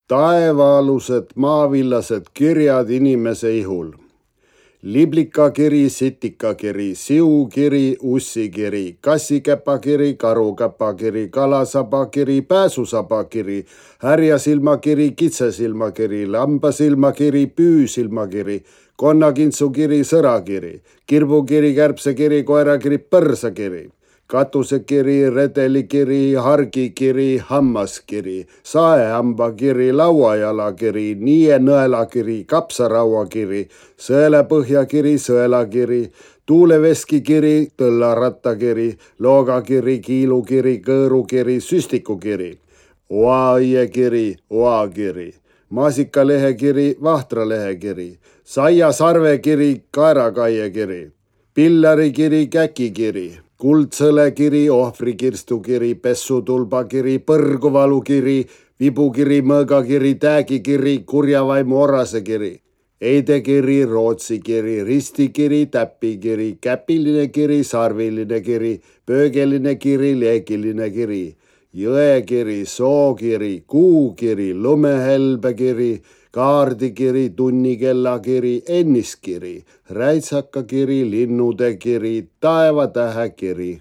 taevaalused maavillased kirjad inimese ihul. Liblikakiri, sitikakiri, siukiri, ussikiri, kassikäpakiri, karukäpakiri, kalasabakiri, pääsusabakiri, härjasilmakiri, kitsesilmakiri, lambasilmakiri, püüsilmakiri, konnakintsukiri, sõrakiri, kirbukiri, kärbsekiri, koerakiri, põrsakiri, katusekiri, redelikiri, hargikiri, hammaskiri, saehambakiri, lauajalakiri, nienõelakiri, kapsarauakiri, sõelepõhjakiri, sõelakiri, tuuleveskikiri, tõllarattakiri, loogakiri, kiilukiri, kõõrukiri, süstikukiri, oaiekiri, oakiri, maasikalehekiri, vahtralehekiri, saiasarvekiri, kaerakaiekiri, pillarikiri, käkikiri, kuldsõlekiri, ohvrikirstukiri, pessutulbakiri, põrguvalukiri, vibukiri, mõõgakiri, täägikiri, kurjavaimu orasekiri, eidekiri, rootsikiri, ristikiri, täpikiri, käpiline kiri, sarviline kiri, pöögeline kiri, leekiline kiri, jõekiri, sookiri, kuukiri, lumehelbekiri, kaardikiri, tunnikellakiri, enniskiri, räitsakakiri, linnudekiri, taevatähekiri.